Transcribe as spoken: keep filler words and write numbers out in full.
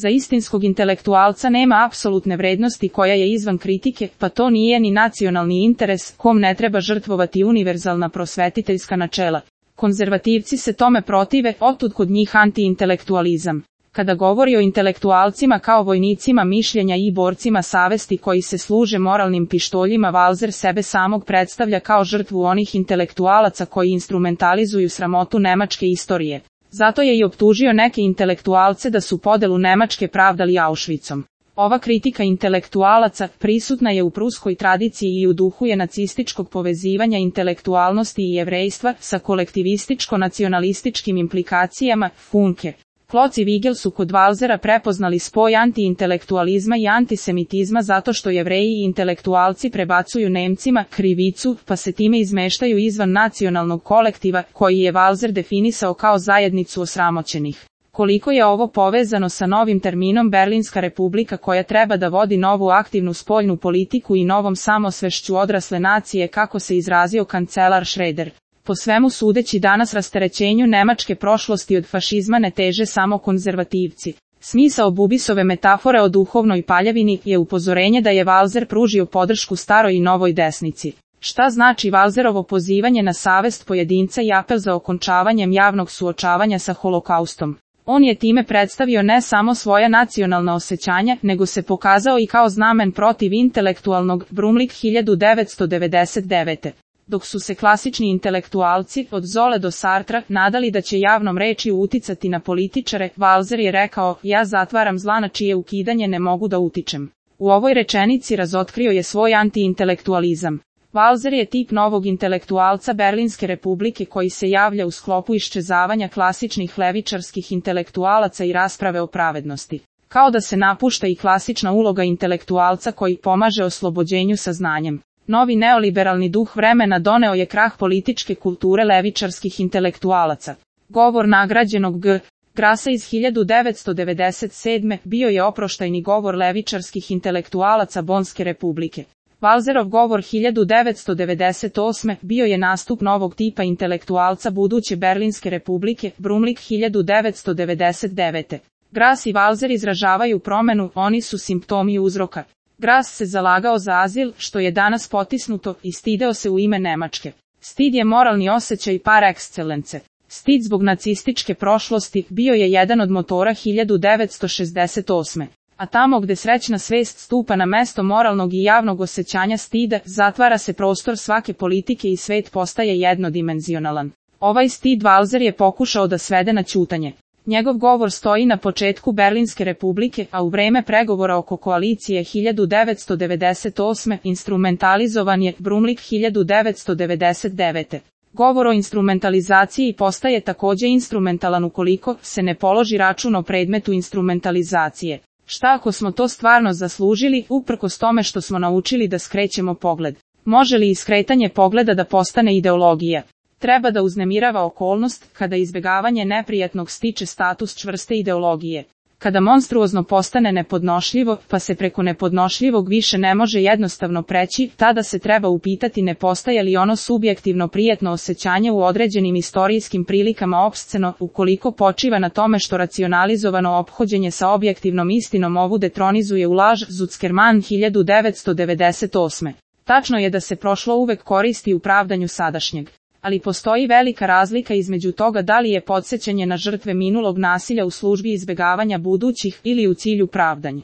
Za istinskog intelektualca nema apsolutne vrednosti koja je izvan kritike, pa to nije ni nacionalni interes, kom ne treba žrtvovati univerzalna prosvetiteljska načela. Konzervativci se tome protive, otud kod njih antiintelektualizam. Kada govori o intelektualcima kao vojnicima mišljenja i borcima savesti koji se služe moralnim pištoljima, Walser sebe samog predstavlja kao žrtvu onih intelektualaca koji instrumentalizuju sramotu nemačke istorije. Zato je i optužio neke intelektualce da su podelu Nemačke pravdali Auschwitzom. Ova kritika intelektualaca prisutna je u pruskoj tradiciji i u duhu je nacističkog povezivanja intelektualnosti i jevrejstva sa kolektivističko-nacionalističkim implikacijama. Funke, Kloc i Vigel su kod Walsera prepoznali spoj antiintelektualizma i antisemitizma zato što Jevreji i intelektualci prebacuju Nemcima krivicu, pa se time izmeštaju izvan nacionalnog kolektiva, koji je Walser definisao kao zajednicu osramoćenih. Koliko je ovo povezano sa novim terminom Berlinska republika koja treba da vodi novu aktivnu spoljnu politiku i novom samosvešću odrasle nacije, kako se izrazio kancelar Schroeder. Po svemu sudeći danas rasterećenju nemačke prošlosti od fašizma ne teže samo konzervativci. Smisao Bubisove metafore o duhovnoj paljevini je upozorenje da je Walser pružio podršku staroj i novoj desnici. Šta znači Walserovo pozivanje na savest pojedinca i apel za okončavanjem javnog suočavanja sa holokaustom? On je time predstavio ne samo svoja nacionalna osjećanja, nego se pokazao i kao znamen protiv intelektualnog Brumlik hiljadu devetsto devedeset devete. Dok su se klasični intelektualci, od Zole do Sartra, nadali da će javnom rečju uticati na političare, Walser je rekao, ja zatvaram zla na čije ukidanje ne mogu da utičem. U ovoj rečenici razotkrio je svoj antiintelektualizam. Walser je tip novog intelektualca Berlinske republike koji se javlja u sklopu iščezavanja klasičnih levičarskih intelektualaca i rasprave o pravednosti. Kao da se napušta i klasična uloga intelektualca koji pomaže oslobođenju saznanjem. Novi neoliberalni duh vremena doneo je krah političke kulture levičarskih intelektualaca. Govor nagrađenog G. Grasa iz hiljadu devetsto devedeset sedme bio je oproštajni govor levičarskih intelektualaca Bonske republike. Walserov govor hiljadu devetsto devedeset osme bio je nastup novog tipa intelektualca buduće Berlinske republike, Brumlik hiljadu devetsto devedeset devete. Gras i Walser izražavaju promenu, oni su simptomi uzroka. Gras se zalagao za azil, što je danas potisnuto, i stideo se u ime Nemačke. Stid je moralni osjećaj par excellence. Stid zbog nacističke prošlosti bio je jedan od motora hiljadu devetsto šezdeset osme. A tamo gde srećna svest stupa na mesto moralnog i javnog osjećanja stida, zatvara se prostor svake politike i svet postaje jednodimenzionalan. Ovaj stid Walser je pokušao da svede na ćutanje. Njegov govor stoji na početku Berlinske republike, a u vreme pregovora oko koalicije hiljadu devetsto devedeset osme instrumentalizovan je Brumlik hiljadu devetsto devedeset devete. Govor o instrumentalizaciji postaje takođe instrumentalan ukoliko se ne položi račun o predmetu instrumentalizacije. Šta ako smo to stvarno zaslužili, uprkos tome što smo naučili da skrećemo pogled? Može li iskretanje pogleda da postane ideologija? Treba da uznemirava okolnost, kada izbegavanje neprijatnog stiče status čvrste ideologije. Kada monstruozno postane nepodnošljivo, pa se preko nepodnošljivog više ne može jednostavno preći, tada se treba upitati ne postaje li ono subjektivno prijetno osjećanje u određenim istorijskim prilikama opsceno, ukoliko počiva na tome što racionalizovano ophođenje sa objektivnom istinom ovu detronizuje u laž. Zuckerman hiljadu devetsto devedeset osme. Tačno je da se prošlo uvek koristi u pravdanju sadašnjeg. Ali postoji velika razlika između toga da li je podsjećanje na žrtve minulog nasilja u službi izbegavanja budućih ili u cilju pravdanja.